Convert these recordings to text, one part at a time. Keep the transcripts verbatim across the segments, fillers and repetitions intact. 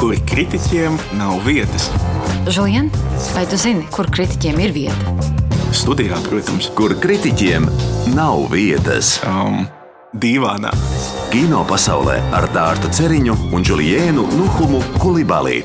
kur kritiķiem nav vietas. Žulien, vai tu zini, kur kritiķiem ir vieta? Studijā, protams. Kur kritiķiem nav vietas. Um, dīvānā. Kino pasaulē ar Dārtu Ceriņu un Džuliēnu Nuhumu Kulibali.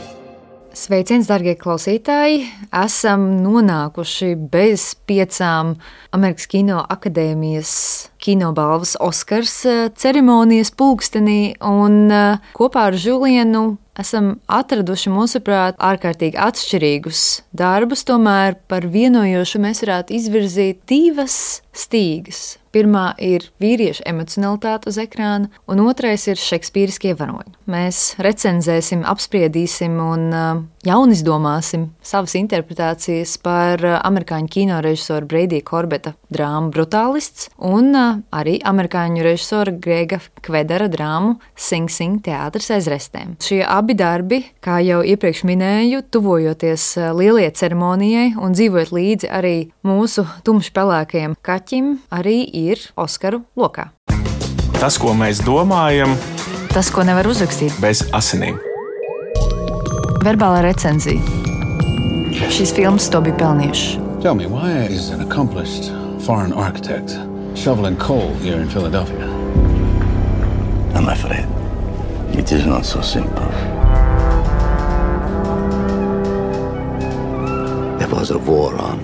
Sveiciens, darbie klausītāji! Esam nonākuši bez piecām Amerikas Kino akadēmijas kinobalvas Oskars ceremonijas pulkstenī, un kopā ar Žulienu esam atraduši, mūsuprāt, ārkārtīgi atšķirīgus darbus, tomēr par vienojošu mēs varētu izvirzīt divas stīgas. Pirmā ir vīriešu emocionalitāte uz ekrāna, un otrais ir šekspīriskie varoņi. Mēs recenzēsim, apspriedīsim un uh, jaunizdomāsim savas interpretācijas par uh, amerikāņu kino režisoru Brady Corbeta drāmu Brutālists un uh, arī amerikāņu režisora Grega Kvedara drāmu Sing Sing teātris aiz restēm. Šie abi darbi, kā jau iepriekš minēju, tuvojoties uh, lielajai ceremonijai un dzīvojot līdzi arī mūsu tumšpelēkajam kaķim, arī ir Oskaru lokā. Tas, ko mēs domājam, tas, ko nevar uzrakstīt bez asinīm. Verbālā recenzija. Šīs filmas to bija pelnījušas. Tell me, why is an accomplished foreign architect shoveling coal here in Philadelphia? I'm afraid it is not so simple. There was a war on,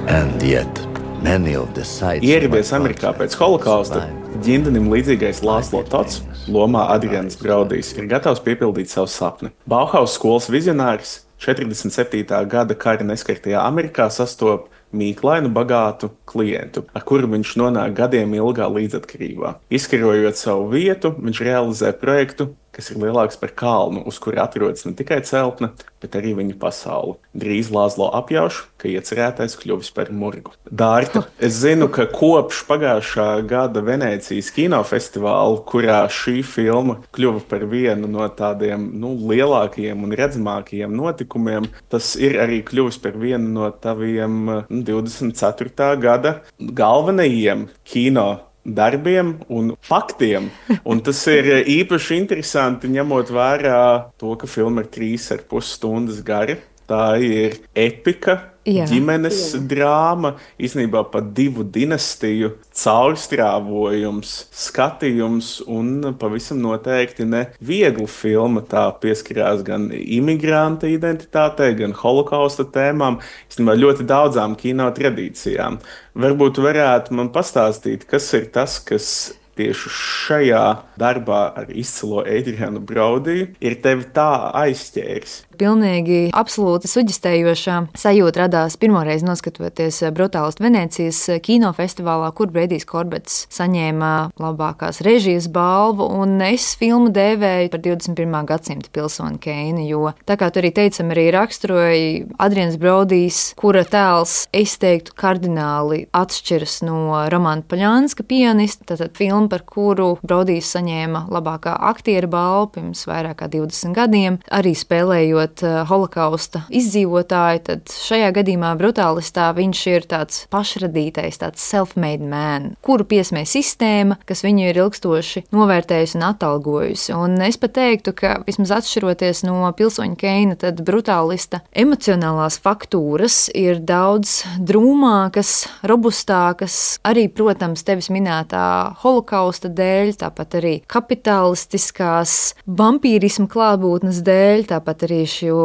and yet Ieradies Amerikā pēc holokausta, ģindenim līdzīgais Lāslo Tots, lomā Adrians Braudijs, ir gatavs piepildīt savu sapni. Bauhaus skolas vizionāris četrdesmit septītā gada kara neskartajā Amerikā sastop mīklainu bagātu klientu, ar kuru viņš nonāk gadiem ilgā līdzatkarībā. Izkarojot savu vietu, viņš realizē projektu, kas ir lielāks par kalnu, uz kura atrodas ne tikai celtne, bet arī viņa pasaule. Drīz Lāslo apjauš, ka iecerētais kļuvis par murgu. Dārta, es zinu, ka kopš pagājušā gada Venēcijas kinofestivāla, kurā šī filma kļuva par vienu no tādiem nu, lielākajiem un redzamākajiem notikumiem, tas ir arī kļuvis par vienu no taviem nu, divdesmit ceturtā gada galvenajiem kino darbiem un faktiem. Un tas ir īpaši interesanti, ņemot vērā to, ka filma ir trīs ar pus stundas gara. Tā ir epika, jā, ģimenes jā. drāma, īstenībā pat divu dinastiju caurstrāvojums, skatījums un pavisam noteikti ne viegla filma. Tā pieskarās gan imigranta identitātei, gan holokausta tēmām, īstenībā ļoti daudzām kino tradīcijām. Varbūt varētu man pastāstīt, kas ir tas, kas tieši šajā darbā ar izcilo Adrianu Braudiju ir tevi tā aizķēris. Pilnīgi absolūti suģistējošā sajūta radās pirmoreiz noskatoties Brutālistu Venēcijas kinofestivālā, kur Bradijs Korbets saņēma labākās režijas balvu, un es filmu dēvēju par divdesmit pirmā gadsimta pilsoni Keinu, jo tā kā tu arī teicam, arī raksturoja Adrians Braudijs, kura tēls, es teiktu, kardināli atšķiras no Romana Poļanska pianista, tātad filma, par kuru Braudijs saņēma labākā aktiera balvu pirms vairāk kā divdesmit gadiem, arī spēlējot holokausta izdzīvotāju, tad šajā gadījumā Brutālistā viņš ir tāds pašradītais, tāds self-made man, kuru piesmē sistēma, kas viņu ir ilgstoši novērtējusi un atalgojusi. Un es pat teiktu, ka vismaz atšķiroties no pilsoņa Keina, tad Brutālista emocionālās faktūras ir daudz drūmākas, robustākas, arī, protams, tevis minētā holokausta dēļ, tāpat arī kapitalistiskās vampīrisma klātbūtnes dēļ, tāpat arī šo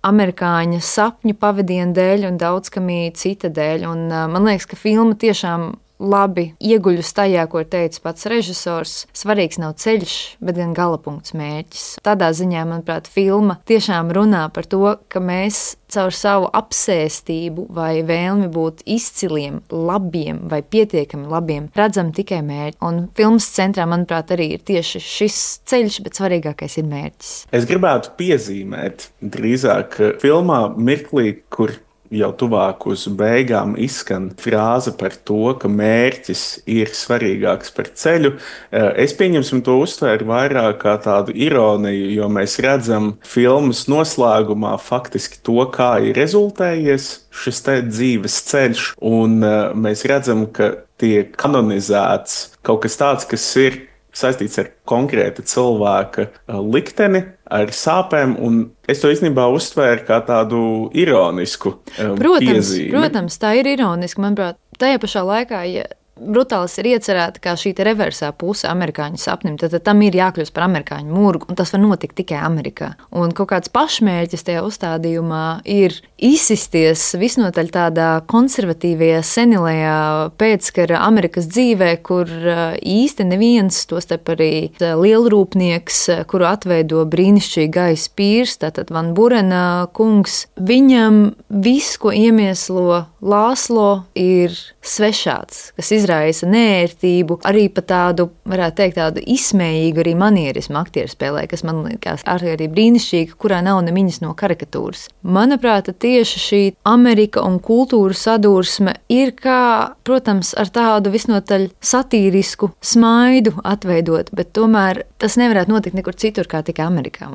amerikāņu sapņu pavadienu dēļ un daudzkamī cita dēļ. Un man liekas, ka filma tiešām labi ieguļus tajā, ko ir teicis pats režisors. Svarīgs nav ceļš, bet gan galapunkts mērķis. Tādā ziņā, manuprāt, filma tiešām runā par to, ka mēs caur savu apsēstību vai vēlmi būt izciliem, labiem vai pietiekami labiem redzam tikai mērķi. Un filmas centrā, manuprāt, arī ir tieši šis ceļš, bet svarīgākais ir mērķis. Es gribētu piezīmēt drīzāk filmā mirklī, kur jau tuvāk uz beigām izskan frāze par to, ka mērķis ir svarīgāks par ceļu. Es pieņemsim to uztvēru vairāk kā tādu ironiju, jo mēs redzam filmas noslēgumā faktiski to, kā ir rezultējies šis te dzīves ceļš, un mēs redzam, ka tiek kanonizēts kaut kas tāds, kas ir saistīts ar konkrēta cilvēka likteni, ar sāpēm, un es to īstenībā uztvēru kā tādu ironisku um, protams, piezīmi. Protams, tā ir ironiski, manuprāt. Tajā pašā laikā, ja Brutālis ir iecerēta kā šī reversā puse amerikāņu sapnim, tad, tad tam ir jākļūst par amerikāņu murgu, un tas var notikt tikai Amerikā. Un kaut kāds pašmērķis tajā uzstādījumā ir izsisties visnotaļ tādā konservatīvajā, senilajā pēckara Amerikas dzīvē, kur īsti neviens, tostarp arī lielrūpnieks, kuru atveido brīnišķīgi Gais Pīrs, tātad Van Burena kungs, viņam viss, ko iemieslo Lāslo, ir svešāds, kas izraisa neērtību, arī pa tādu, varētu teikt, tādu izsmējīgu arī manierismu aktieru spēlē, kas man liekas arī brīnišķīga, kurā nav nemiņas no karikatūras. Manuprāt, tieši šī Amerika un kultūra sadursme ir kā, protams, ar tādu visnotaļ satīrisku smaidu atveidot, bet tomēr tas nevarētu notikt nekur citur kā tikai Amerikā.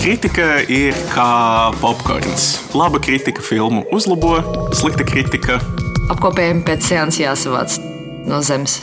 Kritika ir kā popkorns. Laba kritika filmu uzlabo, slikta kritika apkopējumi pēc seanses jāsavāc no zemes.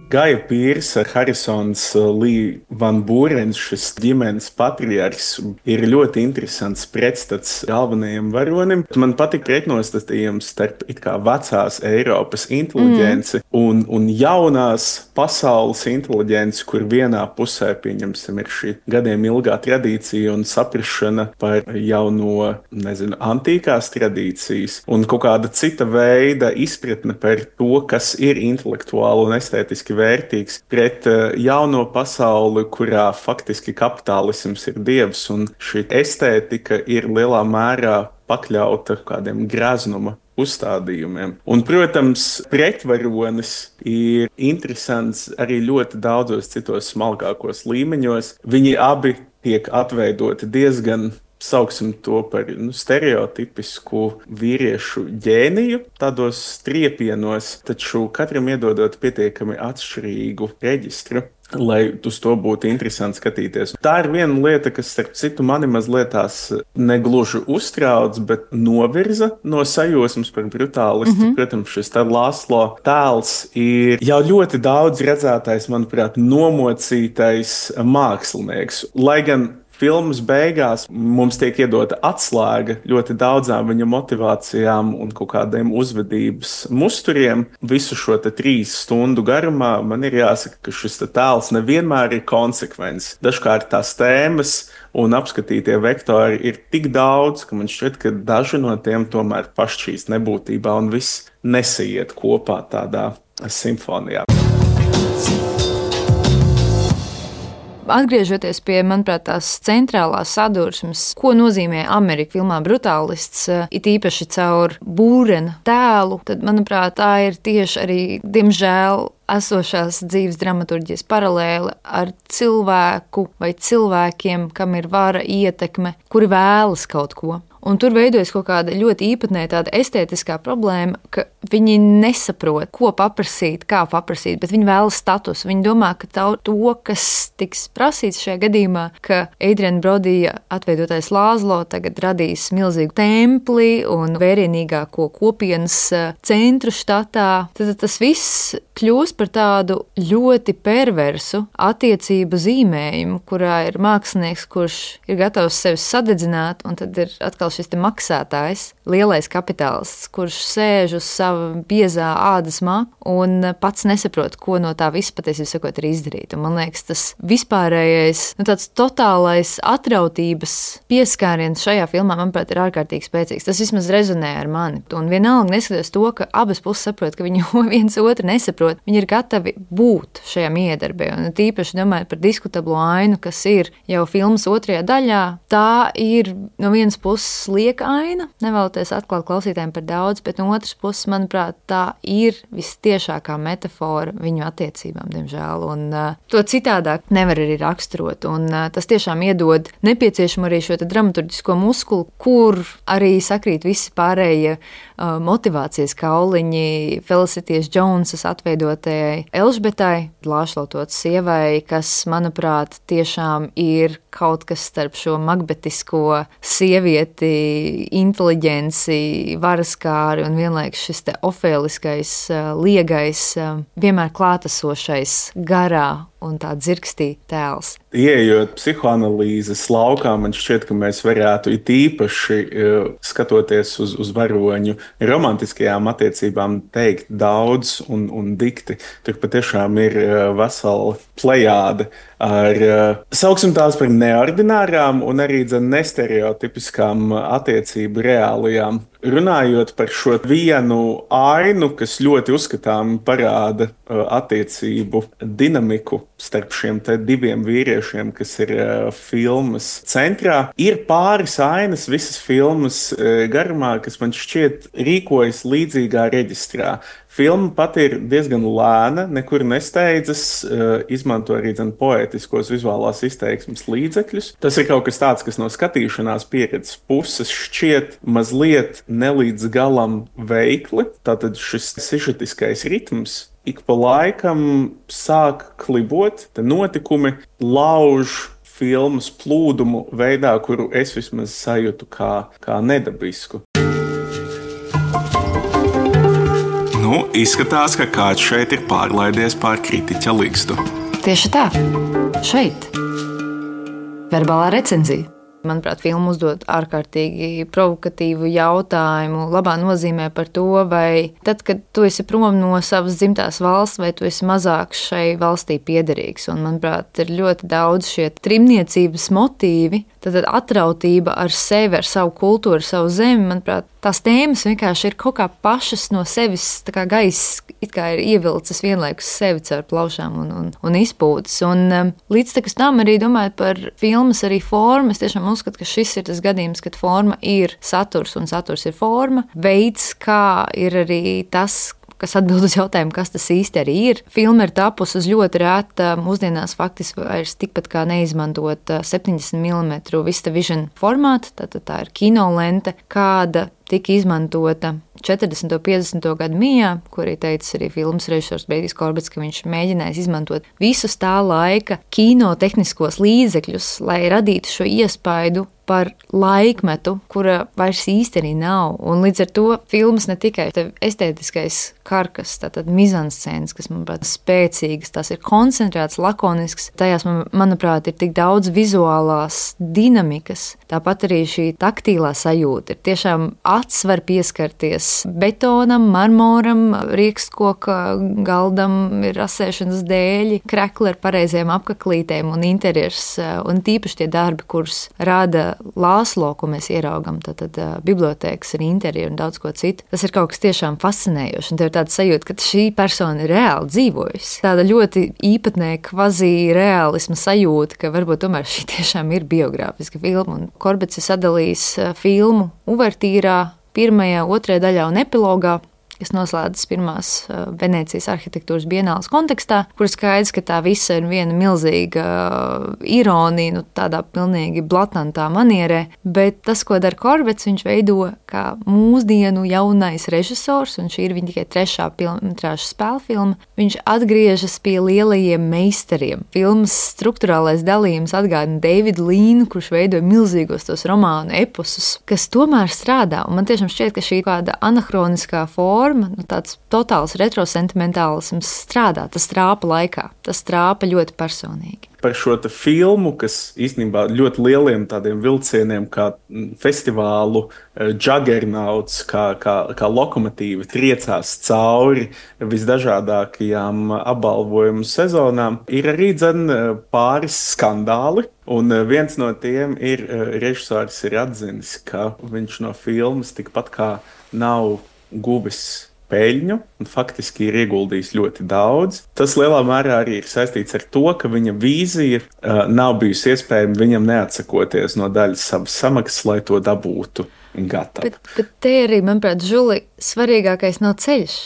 Gaja Pīrs ar Harisons Lī Van Būrens, šis ģimenes patriarhs, ir ļoti interesants pretstats galvenajam varonim. Man patīk pretnostatījums starp it kā vecās Eiropas inteliģenci mm. un, un jaunās pasaules inteliģenci, kur vienā pusē, pieņemsim, ir šī gadiem ilgā tradīcija un saprašana par jauno, nezinu, antīkās tradīcijas un kaut kāda cita veida izpratne par to, kas ir intelektuāli un estētiski vērtīgs pret jauno pasauli, kurā faktiski kapitālisms ir dievs, un šī estētika ir lielā mērā pakļauta kādiem greznuma uzstādījumiem. Un, protams, pretvaronis ir interesants arī ļoti daudzos citos smalkākos līmeņos. Viņi abi tiek atveidoti diezgan, sauksim to par nu, stereotipisku vīriešu ģēniju, tādos striepienos, taču katram iedodot pietiekami atšķirīgu reģistru, lai uz to būtu interesanti skatīties. Tā ir viena lieta, kas, starp citu, mani mazliet tās negluži uztrauc, bet novirza no sajūsmas par brutālistu. Mm-hmm. Protams, šis tā Lāslo tēls ir jau ļoti daudz redzētais, manuprāt, nomocītais mākslinieks. Lai gan filmas beigās mums tiek iedota atslēga ļoti daudzām viņa motivācijām un kaut kādiem uzvedības musturiem. Visu šo te trīs stundu garumā man ir jāsaka, ka šis tēls nevienmēr ir konsekvents. Dažkārt tās tēmas un apskatītie vektori ir tik daudz, ka man šķiet, ka daži no tiem tomēr pašķīst nebūtībā un viss nesaiet kopā tādā simfonijā. Atgriežoties pie, manuprāt, tās centrālās sadursmes, ko nozīmē Amerika filmā Brutālists, it īpaši caur Būrena tēlu, tad, manuprāt, tā ir tieši arī, diemžēl, esošās dzīves dramaturģijas paralēle ar cilvēku vai cilvēkiem, kam ir vara, ietekme, kuri vēlas kaut ko. Un tur veidojas kaut kāda ļoti īpatnēja tāda estētiskā problēma, ka viņi nesaprot, ko paprasīt, kā paprasīt, bet viņi vēlas status. Viņi domā, ka tā, to, kas tiks prasīts šajā gadījumā, ka Adriana Brodija atveidotais Lāslo tagad radīs milzīgu templi un vērienīgāko kopienas centru štatā, tad tas viss kļūst par tādu ļoti perversu attiecību zīmējumu, kurā ir mākslinieks, kurš ir gatavs sevi sadedzināt, un tad ir atkal šis te maksātājs, lielais kapitālists, kurš sēž uz sava biezā ādas maka un pats nesaprot, ko no tā viss patiesībā sakot ir izdarīt. Un man liekas, tas vispārējais, nu tāds totālais atrautības pieskāriens šajā filmā, manuprāt, ir ārkārtīgi spēcīgs. Tas vismaz rezonē ar mani. Un vienalga neskatoties to, ka abas puses saprot, ka viņi viens otru nesaprot, viņi ir gatavi būt šajā miedarbē. Un tīpaši domājot par diskutablo ainu, kas ir jau filmas otrajā daļā, tā ir no vienas puses lieka aina, nevēloties atklāt klausītājiem par daudz, bet no otras puses, manuprāt, tā ir vistiešākā metafora viņu attiecībām, diemžēl, un uh, to citādāk nevar arī raksturot, un uh, tas tiešām iedod nepieciešamu arī šo te dramaturģisko muskulu, kur arī sakrīt visi pārējie uh, motivācijas kauliņi Felicitijas Jonesas atveidotajai Elžbetai, Lāšlotots sievai, kas, manuprāt, tiešām ir kaut kas starp šo makbetisko sievieti, inteliģenci, varaskāri un vienlaikus šis te ofēliskais, liegais, vienmēr klātesošais garā un tā dzirkstī tēls. Ieejot psihoanalīzes laukā, man šķiet, ka mēs varētu it īpaši skatoties uz, uz varoņu romantiskajām attiecībām teikt daudz un, un dikti. Tur patiešām ir vesela plejāde ar, sauksim tās par neordinārām un arī dzen nestereotipiskām attiecību reālijām. Runājot par šo vienu ainu, kas ļoti uzskatām parāda attiecību dinamiku starp šiem te diviem vīriešiem, kas ir filmas centrā, ir pāris ainas visas filmas garumā, kas man šķiet rīkojas līdzīgā reģistrā. Filma pati ir diezgan lēna, nekur nesteidzas, izmanto arī dzen poētiskos vizuālās izteiksmes līdzekļus. Tas ir kaut kas tāds, kas no skatīšanās pieredzes puses šķiet mazliet nelīdz galam veikli. Tātad šis sižetiskais ritms ik pa laikam sāk klibot, te notikumi lauž filmas plūdumu veidā, kuru es vismaz sajūtu kā, kā nedabisku. Nu, izskatās, ka kāds šeit ir pārlaidies pār kritiķa ligstu. Tieši tā. Šeit. Verbālā recenzija. Manuprāt, filma uzdod ārkārtīgi provokatīvu jautājumu, labā nozīmē par to, vai tad, kad tu esi prom no savas dzimtās valsts, vai tu esi mazāk šai valstī piederīgs. Un, manuprāt, ir ļoti daudz šie trimniecības motīvi, tad atrautība ar sevi, ar savu kultūru, savu zemi. Manuprāt, tās tēmas vienkārši ir kaut kā pašas no sevis, tā kā gaiss it kā ir ievilcis vienlaikus sevi caur plaušām un, un, un izpūtas. Un um, līdz tam arī domājot par filmas arī formu, es tiešām uzskatu, ka šis ir tas gadījums, kad forma ir saturs un saturs ir forma. Veids, kā ir arī tas, kas atbild uz jautājumu, kas tas īsti arī ir. Filma ir tapusi uz ļoti rēta, mūsdienās faktiski vairs tikpat kā neizmantot septiņdesmit milimetru VistaVision formātu, tātad tā ir kinolente, kāda tika izmantota četrdesmito un piecdesmito gadu mijā, ko arī teica arī filmas režisors Brīdijs Korbets, ka viņš mēģinājis izmantot visus tā laika kino tehniskos līdzekļus, lai radītu šo iespaidu par laikmetu, kura vairs īsti arī nav. Un līdz ar to filmas ne tikai estētiskais karkas, tātad mizanscēnas, kas, manuprāt, spēcīgas, tās ir koncentrētas, lakonisks. Tajās, manuprāt, ir tik daudz vizuālās dinamikas. Tāpat arī šī taktīlā sajūta ir tiešām acs var pieskarties betonam, marmoram, riekskoka galdam, ir rasēšanas dēļi, krekli ar pareizajām apaklītēm un interjers, un tīpaši tie darbi, kurus rāda Lāslo, ko mēs ieraugam, tad, tad bibliotēkas ar interjeru un daudz ko citu. Tas ir kaut kas tiešām fascinējoši, un tev ir tāda sajūta, ka šī persona ir reāli dzīvojusi. Tāda ļoti īpatnēja kvazi reālisma sajūta, ka varbūt tomēr šī tiešām ir biogrāfiska filma. Un Korbets ir sadalījis filmu uvertīrā, pirmajā, otrajā daļā un epilogā, kas noslēdzas pirmās Venēcijas arhitektūras bienāles kontekstā, kur skaidrs, ka tā visa ir viena milzīga ironija, nu tādā pilnīgi blatantā manierē, bet tas, ko dara Korbets, viņš veido kā mūsdienu jaunais režisors, un šī ir viņa tikai trešā pilnmetrāža spēlfilma, viņš atgriežas pie lielajiem meistariem. Filmas struktūrālais dalījums atgādina Davidu Līnu, kurš veidoja milzīgos tos romānu eposus, kas tomēr strādā, un man tiešām šķiet, ka šī kāda anahroniskā forma, nu, tāds totāls retrosentimentālisms strādā, tas trāpa laikā, tas trāpa ļoti personīgi. Par šo te filmu, kas īstenībā ļoti lieliem tādiem vilcieniem, kā festivālu juggernauts, kā, kā, kā lokomotīva triecās cauri visdažādākajām apbalvojumu sezonām, ir arī dzen pāris skandāli. Un viens no tiem ir, režisors ir atzinis, ka viņš no filmas tikpat kā nav guvis peļņu un faktiski ir ieguldījis ļoti daudz. Tas lielā mērā arī ir saistīts ar to, ka viņa vīzija uh, nav bijusi iespējama viņam neatsakoties no daļas savas samaksas, lai to dabūtu gatavu. Bet, bet te arī, manuprāt, Žuli, svarīgākais nav ceļš,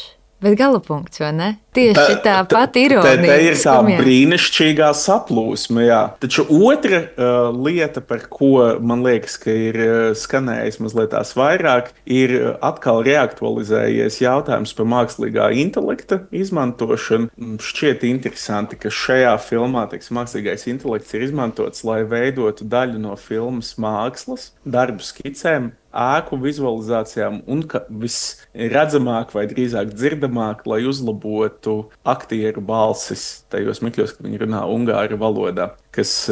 bet galapunkts, vai ne? Tieši tā, tā pati ironija. Tā ir tā brīnišķīgā saplūsma, jā. Taču otra uh, lieta, par ko man liekas, ka ir uh, skanējis mazliet tās vairāk, ir atkal reaktualizējies jautājums par mākslīgā intelekta izmantošanu. Šķiet interesanti, ka šajā filmā, teiksim, mākslīgais intelekts ir izmantots, lai veidotu daļu no filmas mākslas, darbu skicēm, ēku vizualizācijām un ka visredzamāk vai drīzāk dzirdamāk, lai uzlabotu aktieru balsis tajos mikļos, kad viņi runā ungāru valodā, kas,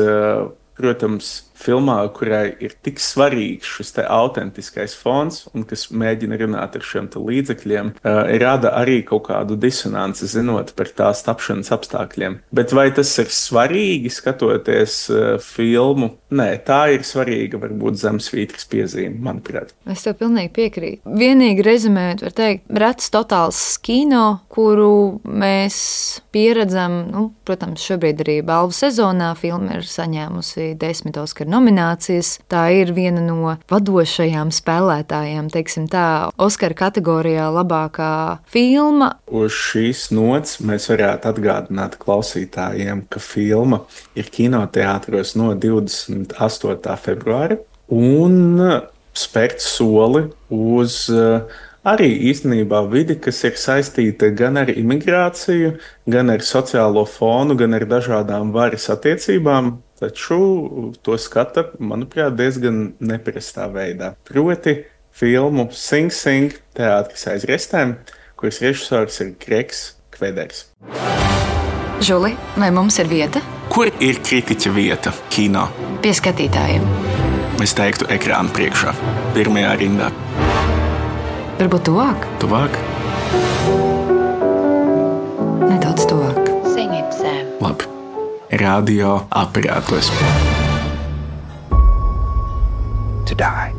protams, filmā, kurai ir tik svarīgs šis te autentiskais fons un kas mēģina runāt ar šiem te līdzekļiem, uh, rada arī kaut kādu disonanci, zinot par tās tapšanas apstākļiem. Bet vai tas ir svarīgi, skatoties uh, filmu? Nē, tā ir svarīga, varbūt zemesvītras piezīme, manuprāt. Es tev pilnīgi piekrītu. Vienīgi rezumējot, var teikt, rets totāls kino, kuru mēs pieredzam, nu, protams, šobrīd arī balvu sezonā filma ir saņēmusi desmit Oskara nominācijas. Tā ir viena no vadošajām spēlētājām, teiksim tā, Oskara kategorijā labākā filma. Uz šīs nots mēs varētu atgādināt klausītājiem, ka filma ir kinoteātros no divdesmit astotā februāra un spērt soli uz arī īstenībā vidi, kas ir saistīta gan ar imigrāciju, gan ar sociālo fonu, gan ar dažādām varas attiecībām. Taču to skata, manuprāt, diezgan neparastā veidā. Proti filmu Sing Sing teātris aiz restēm, kuras režisors ir Gregs Kveders. Žuli, vai mums ir vieta? Kur ir kritiķa vieta kino? Pie skatītājiem. Es teiktu ekrāna priekšā, pirmajā rindā. Varbūt tuvāk? Tuvāk? Nedaudz tuvāk. Sing it, Sam. Labi. Radio aparātos. To die.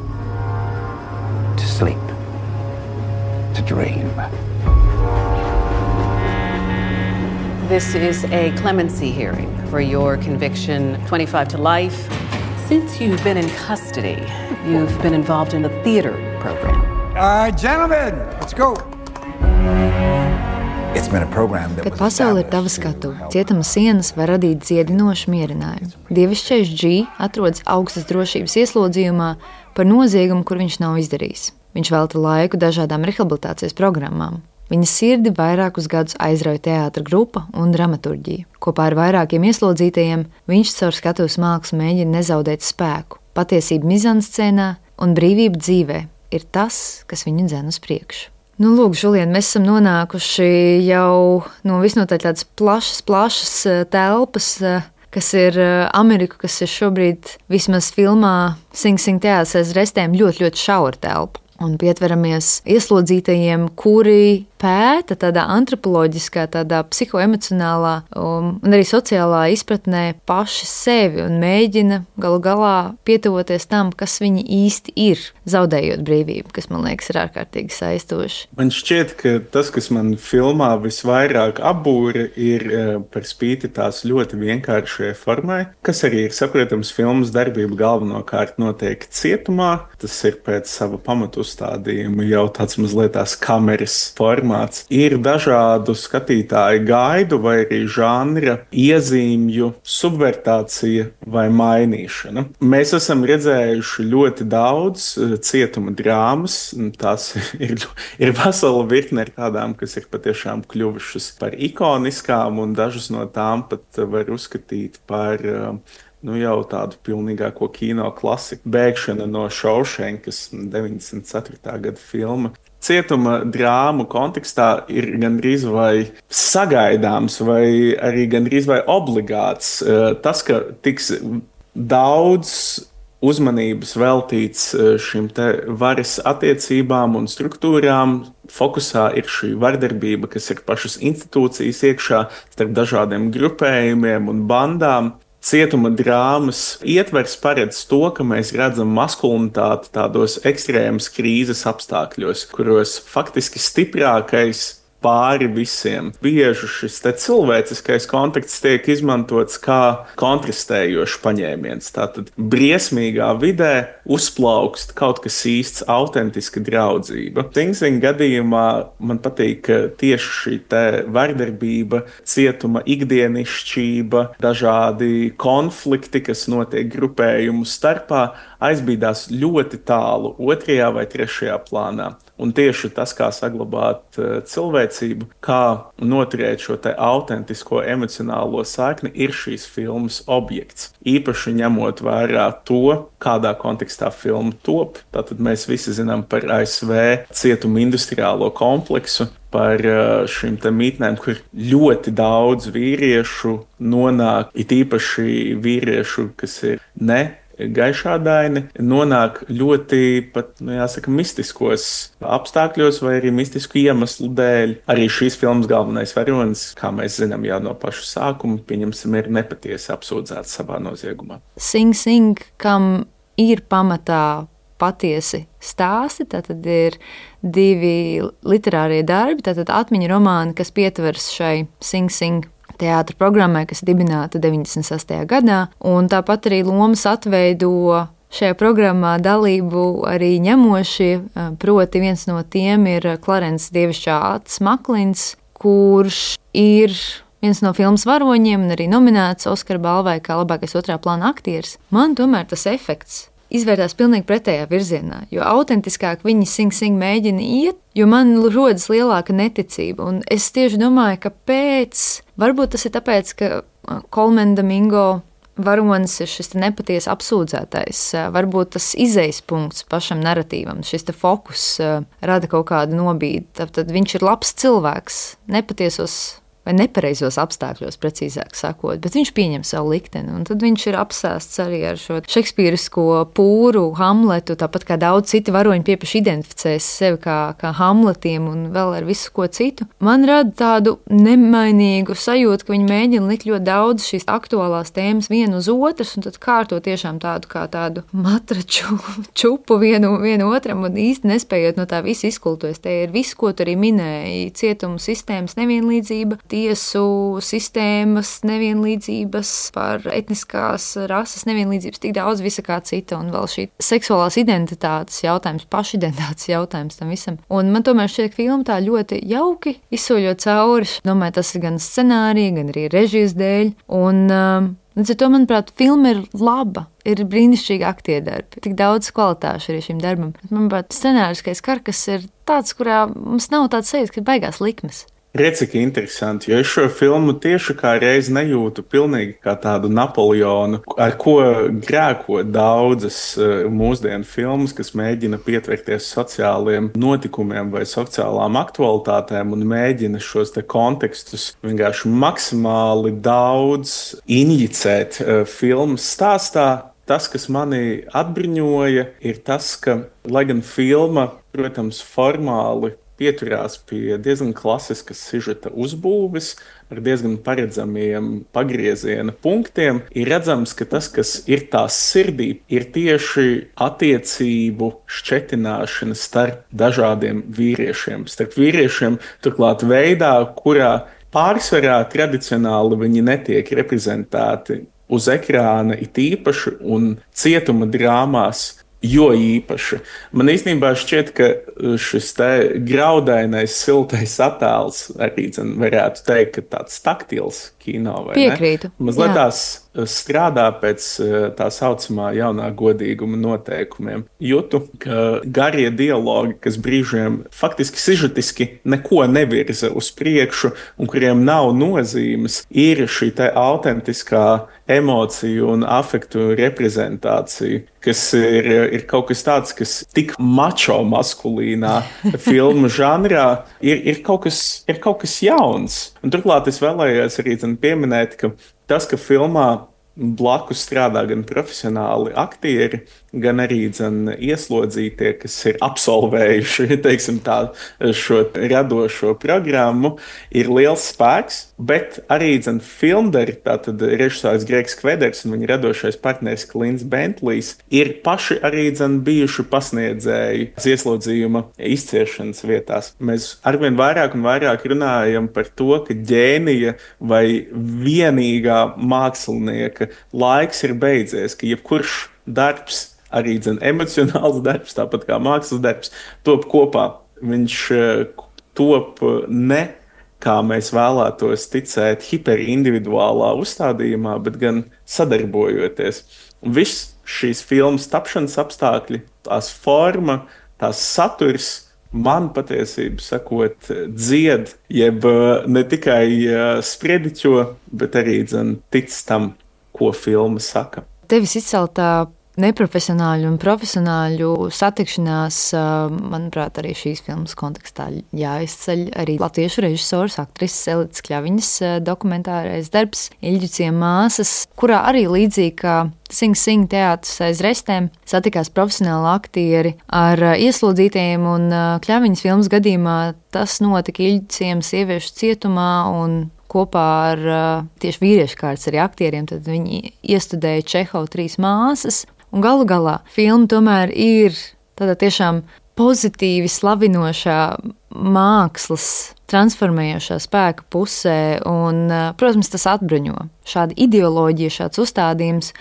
To sleep. To dream. This is a clemency hearing for your conviction, twenty-five to life. Since you've been in custody, you've been involved in the theater program. Uh, gentlemen, let's go. Kad pasaule ir tava skatu, cietuma sienas var radīt dziedinošu mierinājumu. Dievišķais G atrodas augstas drošības ieslodzījumā par noziegumu, kur viņš nav izdarījis. Viņš velta laiku dažādām rehabilitācijas programmām. Viņa sirdi vairākus gadus aizrauja teātra grupa un dramaturģija. Kopā ar vairākiem ieslodzītajiem viņš caur skatuves mākslu mēģina nezaudēt spēku. Patiesība mizanscēnā un brīvība dzīvē ir tas, kas viņu dzen uz priekšu. Nu, lūk, Žulien, mēs esam nonākuši jau no visnotaļ tādas plašas, plašas telpas, kas ir Amerika, kas ir šobrīd vismaz filmā Sing Sing teātris aiz restēm ļoti, ļoti šaura telpa. Un pietveramies ieslodzītajiem, kuri pēta tādā antropoloģiskā, tādā psihoemocionālā um, un arī sociālā izpratnē paši sevi un mēģina galu galā pietuvoties tam, kas viņi īsti ir, zaudējot brīvību, kas, man liekas, ir ārkārtīgi saistoši. Man šķiet, ka tas, kas man filmā visvairāk apbūra, ir par spīti tās ļoti vienkāršajai formai, kas arī ir saprotams filmas darbība galvenokārt notiek cietumā. Tas ir pēc sava pamatu uzstādījuma jau tāds mazliet tās kameras formāts. Ir dažādu skatītāju gaidu vai arī žanra iezīmju subvertācija vai mainīšana. Mēs esam redzējuši ļoti daudz cietuma drāmas. Tās ir, ir vesela virkne ar tādām, kas ir patiešām kļuvušas par ikoniskām, un dažas no tām pat var uzskatīt par nu jau tādu pilnīgāko kino klasiku. Bēgšana no Šaušenkas, deviņdesmit ceturtā gada filma. Cietuma drāmu kontekstā ir gandrīz vai sagaidāms vai arī gandrīz vai obligāts tas, ka tiks daudz uzmanības veltīts šim te varas attiecībām un struktūrām. Fokusā ir šī vardarbība, kas ir pašas institūcijas iekšā starp dažādiem grupējumiem un bandām. Cietuma drāmas ietvers paredz to, ka mēs redzam maskulinitāti tādos ekstrēmas krīzes apstākļos, kuros faktiski stiprākais pāri visiem. Bieži šis te cilvēciskais konteksts tiek izmantots kā kontrastējošs paņēmiens. Tātad briesmīgā vidē uzplaukst kaut kas īsts, autentiska draudzība. Sing Sing gadījumā man patīk, ka tieši šī te vardarbība, cietuma ikdienišķība, dažādi konflikti, kas notiek grupējumu starpā, aizbīdās ļoti tālu otrajā vai trešajā plānā. Un tieši tas, kā saglabāt cilvēciskību, pārliecību, kā noturēt šo te autentisko emocionālo saikni, ir šīs filmas objekts. Īpaši ņemot vērā to, kādā kontekstā filma top. Tātad mēs visi zinām par A S V cietumu industriālo kompleksu, par šīm te mītnēm, kur ļoti daudz vīriešu nonāk, it īpaši vīriešu, kas ir ne gaišādaini, nonāk ļoti pat, nu jāsaka, mistiskos apstākļos vai arī mistisku iemeslu dēļ. Arī šīs filmas galvenais varonis, kā mēs zinām jau no paša sākuma, pieņemsim, ir nepatiesi apsūdzēts savā noziegumā. Sing Sing, kam ir pamatā patiesi stāsti, tātad ir divi literārie darbi, tātad atmiņu romāni, kas pietvers šai Sing Sing teātra programmai, kas dibināta deviņdesmit sastajā gadā, un tāpat arī lomas atveido šajā programmā dalību arī ņemošie, proti viens no tiem ir Clarence dievišķā acis Maklins, kurš ir viens no filmas varoņiem un arī nominēts Oskara balvai kā labākais otrā plāna aktieris. Man tomēr tas efekts izvērtās pilnīgi pretējā virzienā, jo autentiskāk viņi Sing Sing mēģina iet, jo man rodas lielāka neticība. Un es tieši domāju, ka pēc, varbūt tas ir tāpēc, ka Colman Domingo varonis ir šis nepatiesi apsūdzētais, varbūt tas izejas punkts pašam naratīvam, šis te fokus rada kaut kādu nobīdi. Tad viņš ir labs cilvēks, nepatiesos vai nepareizos apstākļos, precīzāk sakot, bet viņš pieņem savu likteni, un tad viņš ir apsēsts arī ar šo šekspīrisko pūru Hamletu, tāpat kā daudz citi varoņi piepaši identificēs sevi kā, kā Hamletiem un vēl ar visu ko citu. Man rada tādu nemainīgu sajūtu, ka viņi mēģina likt ļoti daudz šīs aktuālās tēmas vienu uz otras, un tad kārto tiešām tādu kā tādu matraču čupu vienu, vienu otram, un īsti nespējot no tā visu izkultoties. Te ir viss, ko tu arī minēji, cietumu sistēmas nevienlīdzība, tiesu sistēmas nevienlīdzības, par etniskās rases nevienlīdzības, tik daudz visa kā cita, un vēl šī seksuālās identitātes jautājums, pašidentitātes jautājums tam visam. Un man tomēr šķiet, ka filma tā ļoti jauki izsoļot cauri. Domāju, tas ir gan scenārija, gan arī režijas dēļ, un um, līdz ar to, manuprāt, filma ir laba, ir brīnišķīgi aktierdarbi, tik daudz kvalitāšu arī šim darbam. Manuprāt, scenāriskais karkas ir tāds, kurā mums nav tāds sajūta, ka baigās likmes. Redz, cik interesanti, jo es šo filmu tieši kā reizi nejūtu pilnīgi kā tādu Napoleonu, ar ko grēko daudzas mūsdienu filmas, kas mēģina pietverties sociāliem notikumiem vai sociālām aktualitātēm un mēģina šos te kontekstus vienkārši maksimāli daudz injicēt filmas stāstā. Tas, kas mani atbruņoja, ir tas, ka, lai gan filma, protams, formāli pieturās pie diezgan klasiskas sižeta uzbūves, ar diezgan paredzamiem pagrieziena punktiem, ir redzams, ka tas, kas ir tās sirdī, ir tieši attiecību šķetināšana starp dažādiem vīriešiem. Starp vīriešiem turklāt veidā, kurā pārsvarā tradicionāli viņi netiek reprezentēti uz ekrāna it īpaši un cietuma drāmās, jo īpaši. Man īstenībā šķiet, ka šis te graudainais, siltais attēls arī dzen, varētu teikt, ka tāds taktils kino, vai Piekrītu. ne? Mazliet tās strādā pēc tā saucamā jaunā godīguma noteikumiem. Jūtu, ka garie dialogi, kas brīžiem faktiski sižetiski neko nevirza uz priekšu un kuriem nav nozīmes, ir šī te autentiskā emociju un afektu reprezentācija, kas ir, ir kaut kas tāds, kas tik mačo maskulīnā filmu žanrā ir, ir, kaut kas, ir kaut kas jauns. Un turklāt es vēlējos arī pieminēt, ka tas, ka filmā blakus strādā gan profesionāli aktieri, gan arī dzen, ieslodzītie, kas ir absolvējuši teiksim, tā, šo radošo programmu, ir liels spēks, bet arī dzen, filmdari, tātad režisors Gregs Kveders un viņa radošais partneris Klints Bentlijs, ir paši arī dzen, bijuši pasniedzēji ieslodzījuma izciešanas vietās. Mēs arvien vairāk un vairāk runājam par to, ka ģēnija vai vienīgā mākslinieka laiks ir beidzies, ka jebkurš darbs, arī dzen, emocionāls darbs, tāpat kā mākslas darbs, top kopā. Viņš top ne, kā mēs vēlētos ticēt, hiperindividuālā uzstādījumā, bet gan sadarbojoties. Un viss šīs filmas tapšanas apstākļi, tās forma, tās saturs, man patiesību sakot dzied, jeb ne tikai sprediķo, bet arī dzen tic tam, ko filma saka. Tevis izceltā neprofesionāļu un profesionāļu satikšanās, manuprāt, arī šīs filmas kontekstā jāizceļ arī latviešu režisors, aktrises Elites Kļaviņas dokumentārais darbs Ilģuciem māsas, kurā arī līdzīgi kā Sing Sing teātris aiz restēm satikās profesionāli aktieri ar ieslodzītajiem, un Kļaviņas filmas gadījumā tas notika Ilģuciem sieviešu cietumā un kopā ar tieši vīriešu kārtas arī aktieriem, tad viņi iestudēja Čehovu Trīs māsas. Un galu galā filma tomēr ir tādā tiešām pozitīvi slavinošā mākslas transformējošā spēka pusē, un, protams, tas atbruņo šāda ideoloģija, šāds uzstādījums.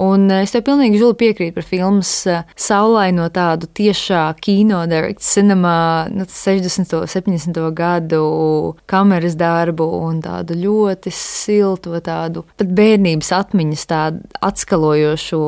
Un es tev pilnīgi žuli piekrītu par filmas saulaino tādu tiešā kino direct cinema, nu, sešdesmito, septiņdesmito gadu kameras darbu un tādu ļoti silto tādu pat bērnības atmiņas tādu atskalojošo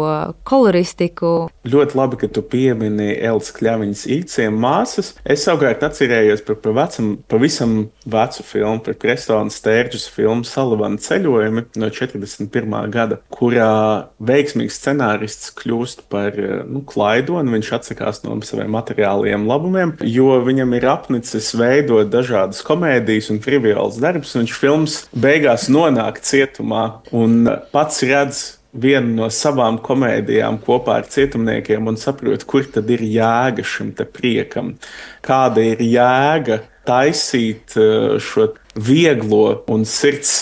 koloristiku. Ļoti labi, ka tu piemini Elites Kļaviņas Ilģuciem māsas. Es savukārt atcerējos par, par vecam, pavisam vecu filmu, par Prestona Stērģus filmu Salavana ceļojumi no četrdesmit pirmā gada, kurā veiksmīgs scenārists kļūst par nu, klaidoni, viņš atsakās no saviem materiāliem labumiem, jo viņam ir apnicis veidot dažādas komēdijas un triviāls darbs, un viņš filmas beigās nonāk cietumā un pats redz vienu no savām komēdijām kopā ar cietumniekiem un saprot, kur tad ir jēga šim te priekam, kāda ir jēga taisīt šo vieglo un sirds,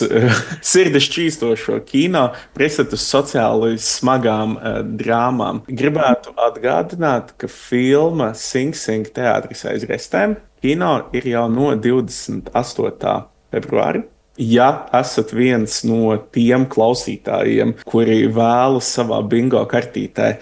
sirdi šķīstošo kino pretstatus sociāli smagām uh, drāmām. Gribētu atgādināt, ka filma Sing Sing teātris aiz restēm kino ir jau no divdesmit astotā februāra. Ja esat viens no tiem klausītājiem, kuri vēlas savā bingo kartītē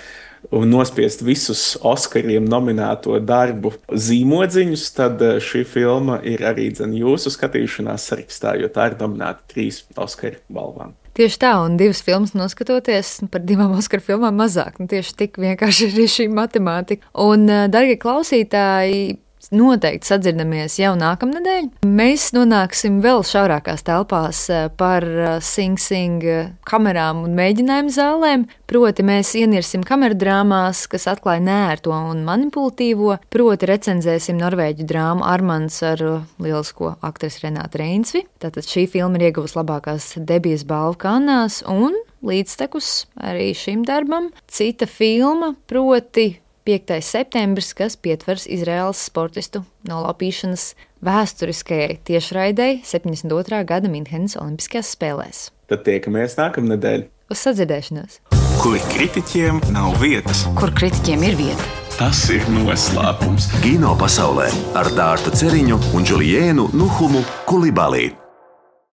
un nospiest visus Oskariem nominēto darbu zīmodziņus, tad šī filma ir arī dzen jūsu skatīšanās sarakstā, jo tā ir nominēta trīs Oskaru balvām. Tieši tā, un divas filmas noskatoties par divām Oskaru filmām mazāk. Nu, tieši tik vienkārši ir šī matemātika. Un, dargie klausītāji, noteikti sadzirdamies jau nākamnedēļ. Mēs nonāksim vēl šaurākās telpās par Sing Sing kamerām un mēģinājumu zālēm. Proti mēs ienirsim kameradrāmās, kas atklāja neērto un manipulatīvo. Proti recenzēsim norvēģu drāmu Armands ar lielisko aktrisi Renātu Reinsvi. Tātad šī filma ir ieguvusi labākās debijas balvu Kannās, un līdztekus arī šim darbam cita filma, proti piektais septembris, kas pietvers Izraēlas sportistu nolaupīšanas vēsturiskajai tiešraidei septiņdesmit otrā gada Minhenes olimpiskajās spēlēs. Tad tiekamies nākamnedēļ. Uz sadzirdēšanos. Kur kritiķiem nav vietas. Kur kritiķiem ir vieta. Tas ir noslēpums. Kino pasaulē ar Dārtu Ceriņu un Džuliēnu Nuhumu Kulibalī.